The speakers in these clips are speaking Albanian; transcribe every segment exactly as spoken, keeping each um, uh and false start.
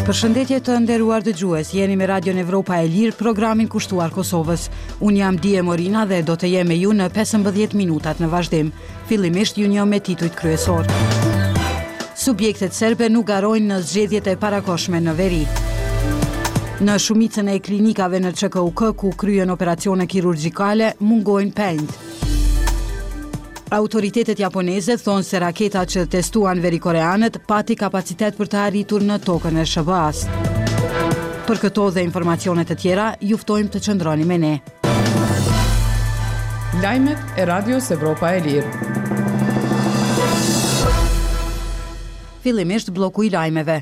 Përshëndetje të nderuar dëgjues, jeni me Radion Evropa e Lirë, programin kushtuar Kosovës. Unë jam Die Morina dhe do të jem me ju në pesëmbëdhjetë minutat në vazhdim. Fillimisht ju njoh me titujt kryesor. Subjektet serbe nuk garojnë në zgjedhjet e parakohshme në veri. Në shumicën e klinikave në Q K U K ku kryen operacione kirurgjikale mungojnë penjt. Autoritetet japoneze thonë se raketa që testuan verikoreanët pati kapacitet për të arritur në tokën e S H B A-s. Për këto dhe informacione të tjera, ju ftojmë të qëndroni me ne. Lajmet e Radios Evropa e Lirë. Fillimisht bloku i lajmeve.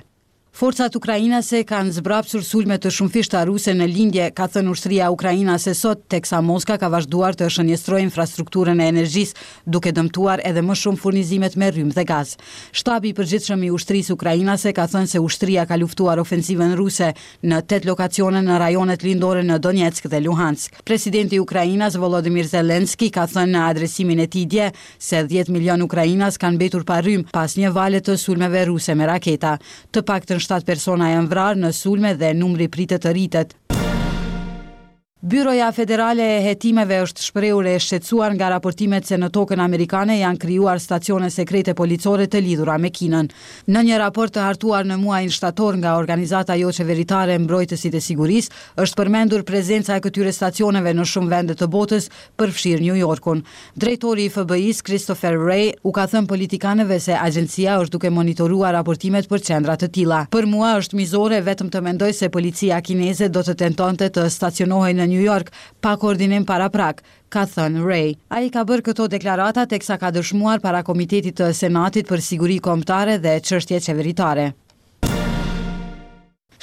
Forcat ukrainase kanë zbrapsur sulme të shumëfishta ruse në lindje, ka thënë ushtria ukrainase sot, teksa Moska ka vazhduar të shënjestrojë infrastrukturën e energjisë, duke dëmtuar edhe më shumë furnizimet me rrymë dhe gaz. Shtabi i përgjithshëm i ushtrisë ukrainase ka thënë se ushtria ka luftuar ofensivën ruse në tetë lokacione në rajonet lindore në Donetsk dhe Luhansk. Presidenti ukrainas Volodymyr Zelensky ka thënë në adresimin e tij dje se dhjetë milion ukrainas kanë mbetur pa rrymë pas një vale të sulmeve ruse me raketa. Të paktën shtatë persona janë vrarë në sulme dhe numri pritet të rritet. Byroja Federale e Hetimeve është shprehur e shqetësuar nga raportimet se në tokën amerikane janë krijuar stacione sekrete policore të lidhura me Kinën. Në një raport të hartuar në muajin shtator nga organizata joqeveritare Mbrojtësit e Sigurisë, është përmendur prezenca e këtyre stacioneve në shumë vende të botës, përfshirë New Yorkun. Drejtori i F B I-s, Christopher Wray, u ka thënë politikanëve se agjencia është duke monitoruar raportimet për qendra të tilla. Për mua është mizore vetëm të mendoj se policia kineze do të tentonte të stacionohej në New York pa koordinim paraprak, ka thënë Wray. Ai ka bërë këto deklarata teksa ka dëshmuar para Komitetit të Senatit për Siguri Kombëtare dhe Çështje Qeveritare.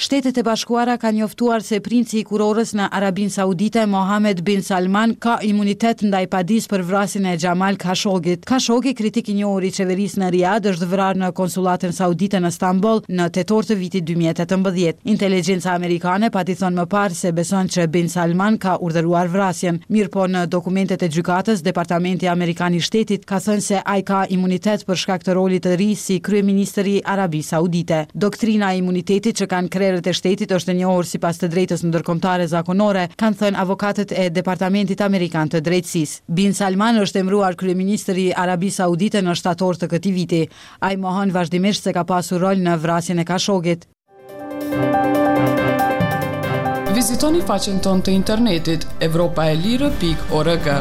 Shtetet e Bashkuara kanë njoftuar se princi i kurorës në Arabinë Saudite, Mohammed bin Salman, ka imunitet ndaj padisë për vrasjen e Jamal Khashoggit. Khashoggi, kritik i njohur i qeverisë në Riyadh, është vrarë në konsullatën saudite në Stamboll në tetor të vitit dy mijë e tetëmbëdhjetë. Inteligjenca amerikane pati thënë më parë se beson që bin Salman ka urdhëruar vrasjen. Mirëpo në dokumentet e gjykatës, Departamenti Amerikan i Shtetit ka thënë se ai ka imunitet për shkak të rolit të ri si kryeministër i Arabisë Saudite. Doktrina e imunitetit që kanë krerët e shtetit është e njohur sipas të drejtës ndërkombëtare zakonore, kanë thënë avokatët e Departamentit Amerikan të Drejtësisë. Bin Salman është emëruar kryeministër i Arabisë Saudite në shtator të këtij viti. Ai mohon vazhdimisht se ka pasur rol në vrasjen e Khashoggit. Vizitoni faqen tonë të internetit evropa e lirë pikë org.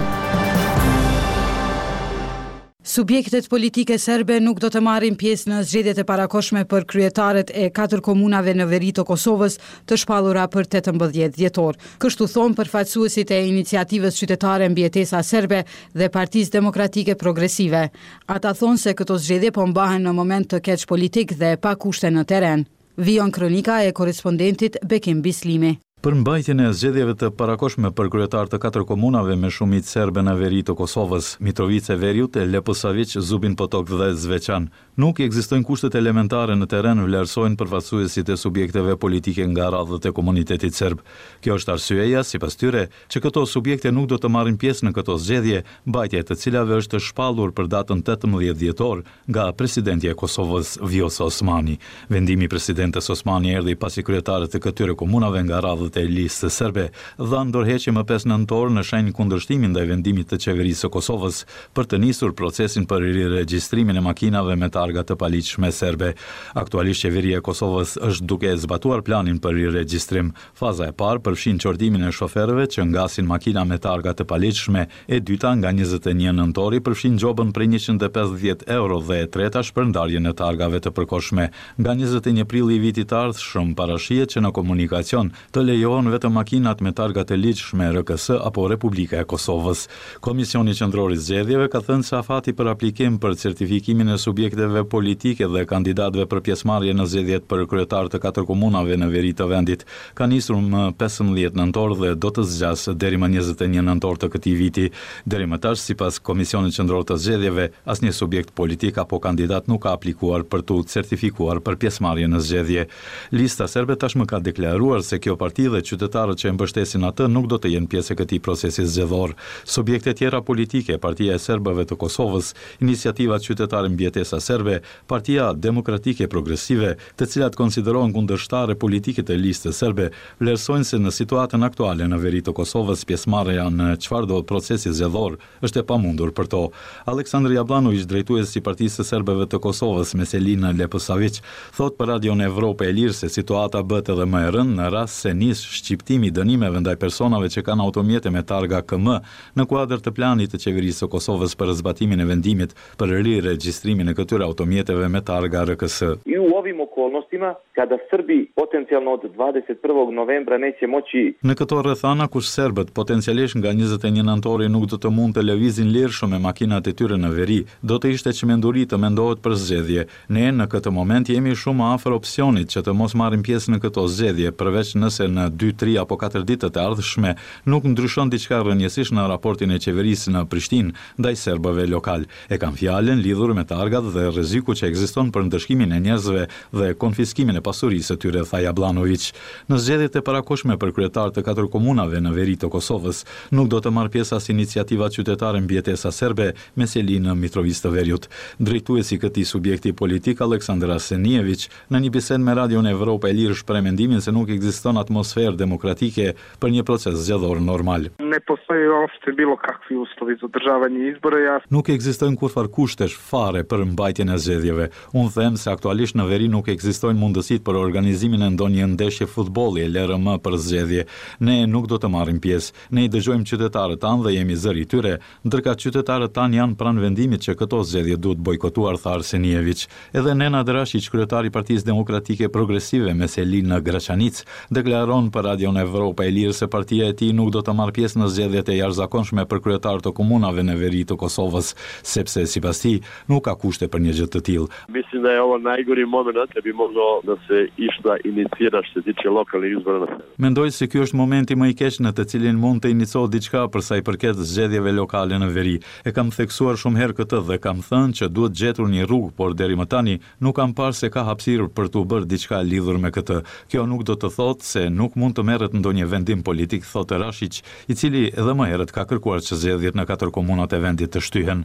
Subjektet politike serbe nuk do të marrin pjesë në zgjedhjet e parakohshme për kryetarët e katër komunave në veri të Kosovës të shpallura për tetëmbëdhjetë dhjetor. Kështu thonë përfaqësuesit e iniciativës qytetare Mbijetesa Serbe dhe Partisë Demokratike Progresive. Ata thonë se këto zgjedhje po mbahen në moment të keq politik dhe pa kushte në teren. Vijon kronika e korrespondentit Bekim Bislimi. Për mbajtjen e zgjedhjeve të parakohshme për kryetar të katër komunave me shumicë serbe në veri të Kosovës, Mitrovice e Veriut, Leposaviq, Zubin Potok dhe Zveçan, nuk ekzistojnë kushtet elementare në teren, vlerësojnë përfaqësuesit e subjekteve politike nga radhët e komunitetit serb. Kjo është arsyeja, sipas tyre, që këto subjekte nuk do të marrin pjesë në këto zgjedhje, mbajtja e të cilave është shpallur për datën tetëmbëdhjetë dhjetor nga presidentja e Kosovës, Vjosa Osmani. Vendimi i presidentes Osmani erdhi pasi kryetarët e këtyre komunave nga radhët e listës serbe dhanë dorëheqje më pesë nëntor në shenjë kundërshtimi ndaj vendimit të qeverisë së Kosovës për të nisur procesin për riregjistrimin e makinave me targa të paligjshme serbe. Aktualisht qeveria e Kosovës është duke zbatuar planin për riregjistrim. Faza e parë përfshin qortimin e shoferëve që ngasin makina me targa të paligjshme, e dyta nga njëzet e një nëntori përfshin gjobën prej njëqind e pesëdhjetë euro dhe e treta shpërndarjen e targave të përkohshme. Nga njëzet e një prilli i vitit të ardhshëm parashihet që në komunikacion të lejohen vetëm makinat me targa të ligjshme R K S apo Republika e Kosovës. Komisioni Qendror i Zgjedhjeve ka thënë se afati për aplikim për certifikimin e subjekteve politike dhe kandidatëve për pjesëmarrje në zgjedhjet për kryetar të katër komunave në veri të vendit ka nisur më pesëmbëdhjetë nëntor dhe do të zgjasë deri më njëzet e një nëntor të këtij viti. Deri më tash, sipas Komisionit Qendror të Zgjedhjeve, asnjë subjekt politik apo kandidat nuk ka aplikuar për t'u certifikuar për pjesëmarrje në zgjedhje. Lista serbe tashmë ka deklaruar se kjo parti dhe qytetarët që e mbështesin atë nuk do të jenë pjesë e këtij procesi zgjedhor. Subjekte tjera politike, Partia e Serbëve të Kosovës, Iniciativa Qytetare Mbijetesa Serbe, Partia Demokratike Progresive, të cilat konsiderohen kundërshtare politike të Listës Serbe, vlerësojnë se në situatën aktuale në veri të Kosovës pjesëmarrja në çfarëdo procesi zgjedhor është e pamundur për to. Aleksandr Jabllanoviq, drejtues i Partisë së Serbëve të Kosovës me seli në Leposaviq, thotë për Radion Evropa e Lirë se situata bëhet edhe më e rëndë në rast se nis shqiptimi i dënimeve ndaj personave që kanë automjete me targa K M në kuadër të planit të Qeverisë së Kosovës për zbatimin e vendimit për riregjistrimin e këtyre automjeteve me targa R K S. I u ovim okolnostima, kada Srbi potencijalno od dvadeset prvog novembra neće moći Në këto rrethana, ku serbët potencialisht nga njëzet e një nëntori nuk do të mund të lëvizin lirshëm me makinat e tyre në veri, do të ishte çmenduri të mendohet për zgjedhje. Ne në këtë moment jemi shumë afër opsionit që të mos marrim pjesë në këto zgjedhje, përveç nëse në dy, tri apo katër ditët e ardhshme nuk ndryshon diçka rrënjësisht në raportin e qeverisë në Prishtinë ndaj serbëve lokal. E kam fjalën lidhur me targat dhe rreziku që ekziston për ndëshkimin e njerëzve dhe konfiskimin e pasurisë së tyre, tha Jabllanoviq. Në zgjedhjet e parakohshme për kryetar të katër komunave në veri të Kosovës, nuk do të marrë pjesë as Iniciativa Qytetare Mbijetesa Serbe me seli në Mitrovicë të Veriut. Drejtuesi i këtij subjekti politik, Aleksandar Arsenijeviq, në një bisedë me Radion Evropa e Lirë shpreh mendimin se nuk ekziston atmosferë demokratike për një proces zgjedhor normal. Ne postoje uopšte bilo kakvi uslovi za održavanje izbora. Ja Nuk ekzistojnë kurrfar kushtesh fare për mbajtjen e zgjedhjeve. Unë them se aktualisht në veri nuk ekzistojnë mundësitë për organizimin e ndonjë ndeshje futbolli e lëre më për zgjedhje. Ne nuk do të marrim pjesë. Ne i dëgjojmë qytetarët tanë dhe jemi zëri i tyre, ndërkaq qytetarët tanë janë pranë vendimit që këto zgjedhje duhet bojkotuar, tha Arsenijeviq. Edhe Nenad Rashiq, kryetari i Partisë Demokratike Progresive me seli në Graçanicë, deklaron për Radion Evropa e Lirë se partia e tij nuk do të marrë pjesë në zgjedhjet e jashtëzakonshme për kryetar të komunave në veri të Kosovës, sepse sipas tij nuk ka kushte për një gjë të tillë. Mislim da je ovo najgori moment da bi moglo da se išta inicira što se tiče lokalnih izbora na severu. Mendoj se ky është momenti më i keq në të cilin mund të iniciohet diçka për sa i përket zgjedhjeve lokale në veri. E kam theksuar shumë herë këtë dhe kam thënë që duhet gjetur një rrugë, por deri më tani nuk kam parë se ka hapësirë për të bërë diçka lidhur me këtë. Kjo nuk do të thotë se nuk mund të merret ndonjë vendim politik, thotë Rashiq, i cili edhe më herët ka kërkuar që zgjedhjet në katër komunat e vendit të shtyhen.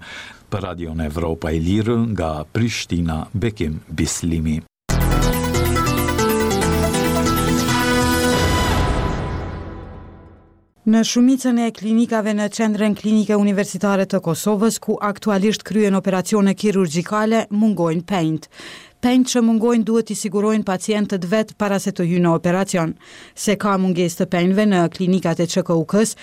Për Radion Evropa e Lirë nga Prishtina, Bekim Bislimi. Në shumicën e klinikave në Qendrën Klinike Universitare të Kosovës, ku aktualisht kryen operacione kirurgjikale, mungojnë penjt. Penjt që mungojnë duhet t'i sigurojnë pacientët vetë para se të hynë në operacion. Se ka mungesë të penjve në klinikat e Q K U K-s,